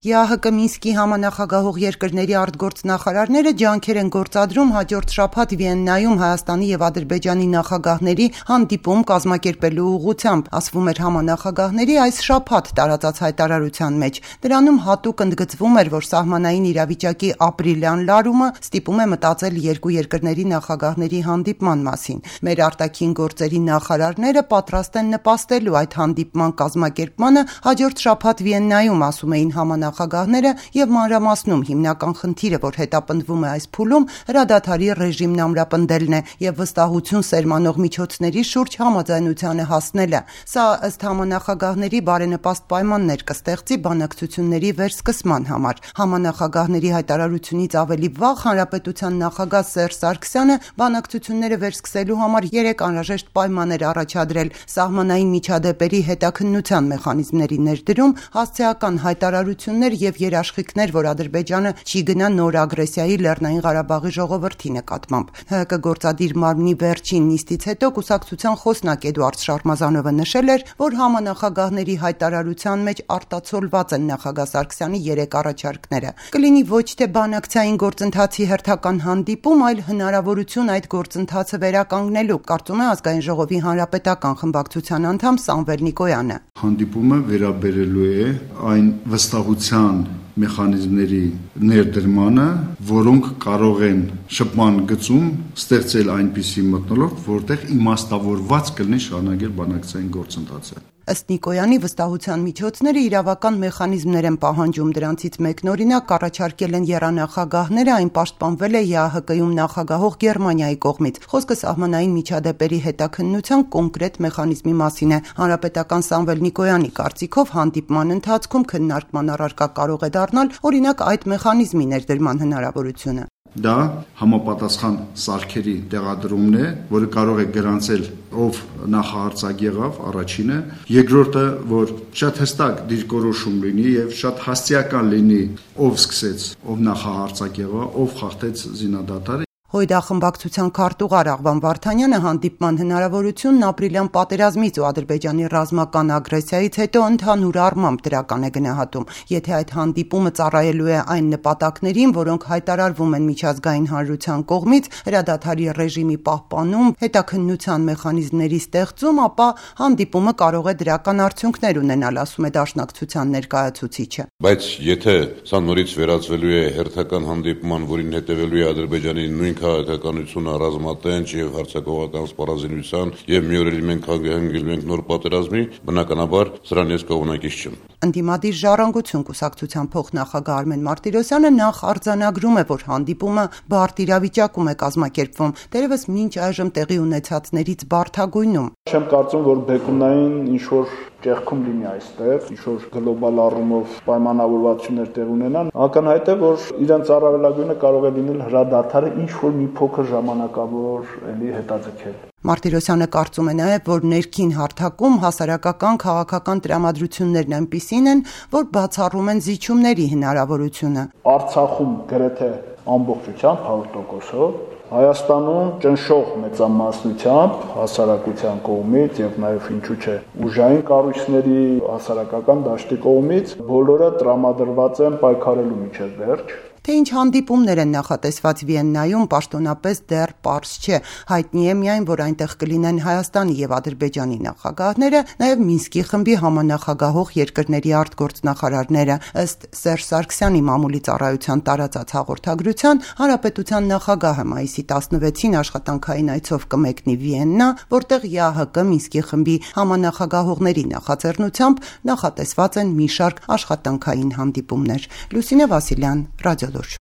ԵԱՀԿ Մինսկի համանախագահող երկրների արտգործնախարարները ջանքեր են գործադրում հաջորդ շաբաթ Վիեննայում Հայաստանի և Ադրբեջանի նախագահների հանդիպում կազմակերպելու ուղղությամբ, ասվում էր համանախագահների այս շաբաթ տարածած հայտարարության մեջ։ Դրանում հատուկ ընդգծվում էր, որ սահմանային իրավիճակի ապրիլյան լարումը ստիպում է մտածել երկու երկրների նախագահների հանդիպման մասին։ Մեր արտաքին գործերի նախարարները պատրաստ են նպաստելու այդ հանդիպման կազմակերպմանը հաջորդ շաբաթ Վիեննայում, ասում էին նախագահները և մանրամասնում հիմնական խնդիրը, որ հետապնդվում է այս փուլում, հրադադարի ռեժիմն ամրապնդելն է և վստահություն սերմանող միջոցների շուրջ համաձայնությանը հասնելը։ Սա ըստ համանախագահների բարենպաստ պայմաններ կստեղծի բանակցությունների վերսկսման համար։ Համանախագահների հայտարարությունից ավելի վաղ Հանրապետության նախագահ Սերժ Սարգսյանը բանակցությունները վերսկսելու համար 3 անհրաժեշտ պայման էր առաջադրել՝ սահմանային միջադեպերի հետաքննության մեխանիզմների ներդրում, հասցեական հայտարարություն և երաշխիքներ, որ Ադրբեջանը չի գնա նոր ագրեսիայի Լեռնային Ղարաբաղի ժողովրդի նկատմամբ։ ՀՀԿ գործադիր մարմնի վերջին նիստից հետո կուսակցության խոսնակ Էդուարդ Շարմազանովը նշել էր, որ համանախագահների հայտարարության մեջ արտացոլված են նախագահ Սարգսյանի 3 առաջարկները։ Կլինի ոչ թե բանակցային գործընթացի հերթական հանդիպում, այլ հնարավորություն այդ գործընթացը վերականգնելու, կարծում է Ազգային ժողովի հանրապետական խմբակցության անդամ Սամվել Նիկոյանը։ Հանդիպումը վերաբերելու է այն վստահության մեխանիզմների ներդրմանը, որոնք կարող են շփման գծում ստեղծել այնպիսի մթնոլորտ, որտեղ իմաստավորված կլինի շարունակել բանակցային գործընթացը։ Ըստ Նիկոյանի, վստահության միջոցները իրավական մեխանիզմներ են պահանջում, դրանցից մեկն օրինակ առաջարկել են եռանախագահները, այն պաշտպանվել է ԵԱՀԿ-ում նախագահող Գերմանիայի կողմից։ Խոսքը սահմանային միջադեպերի հետաքննության կոնկրետ մեխանիզմի մասին է։ Հանրապետական Սամվել Նիկոյանի կարծիքով հանդիպման ընթացքում քննարկման առարկա կարող է դառնալ օրինակ այդ մեխանիզմի ներդրման հնարավորությունը։ Դա համապատասխան սարքերի տեղադրումն է, որը կարող է գրանցել ով նախահարցակ եղավ, առաջինը, երկրորդը, որ շատ հստակ դիրքորոշում լինի եւ շատ հասցեական լինի, ով սկսեց, ով նախահարցակ եղավ, ով խախտեց զինադադարը։ Հույդա խմբակցության քարտուղար Աղվան Վարդանյանը հանդիպման հնարավորությունն ապրիլյան պատերազմից ու Ադրբեջանի ռազմական ագրեսիայից հետո ընդհանուր առմամբ դրական է գնահատում։ Եթե այդ հանդիպումը ծառայելու է այն նպատակներին, որոնք հայտարարվում են միջազգային հանրության կողմից, հրադադարի ռեժիմի պահպանում, հետաքննության մեխանիզմների ստեղծում, ապա հանդիպումը կարող է դրական արդյունքներ ունենալ, ասում է Դաշնակցության ներկայացուցիչը։ Բայց եթե սա նորից վերածվելու է հերթական հանդիպման, որին հետևելու է Ադրբեջանի նույն քաղաքականությունը ռազմատենչ եւ հարձակողական սպառազինության եւ մի օր էլ մենք հանգելու ենք նոր պատերազմի, բնականաբար սրան ես կողմնակից չեմ։ Ընդդիմադիր ժառանգություն կուսակցության փոխնախագահ Արմեն Մարտիրոսյանը նախ արձանագրում է, որ հանդիպումը բարդ իրավիճակում է կազմակերպվում, դերևս մինչ այժմ տեղի ունեցածներից բարդագույնում։ Չեմ կարծում, որ բեկումնային ինչ-որ ճեղքում լինի այստեղ, ինչ-որ գլոբալ առումով պայմանավորվածություններ տեղ ունենան, ակնհայտ է, որ իրենց առավելագույնը կարող է լինել հրադադարը ինչ-որ մի փոքր ժամանակավոր էլի հետաձգել։ Մարտիրոսյանը կարծում է նաև, որ ներքին հարթակում հասարակական քաղաքական տրամադրություններն այնպիսին են, որ բացառում են զիջումների հնարավորությունը։ Արցախում գրեթե ամբողջությամբ 100%-ով, Հայաստանում ճնշող մեծամասնությամբ հասարակության կողմից եւ նաեւ ինչու՞ չէ ուժային կառույցների հասարակական դաշտի կողմից բոլորը տրամադրված են պայքարելու միջև վերջ։ Թե ինչ հանդիպումներ են նախատեսված Վիեննայում, պաշտոնապես դեռ պարզ չէ։ Հայտնի է միայն, որ այնտեղ կլինեն Հայաստանի եւ Ադրբեջանի նախագահները, նաեւ Մինսկի խմբի համանախագահող երկրների արտգործնախարարները։ Ըստ Սերժ Սարգսյանի մամուլի ծառայության տարածած հաղորդագրության, Հանրապետության նախագահը մայիսի 16-ին աշխատանքային այցով կմեկնի Վիեննա, որտեղ ԵԱՀԿ Մինսկի խմբի համանախագահողների նախաձեռնությամբ նախատեսված են մի շարք աշխատանքային հանդիպումներ։ Լուսինե Վասիլյան, Ռադիոլուրջ։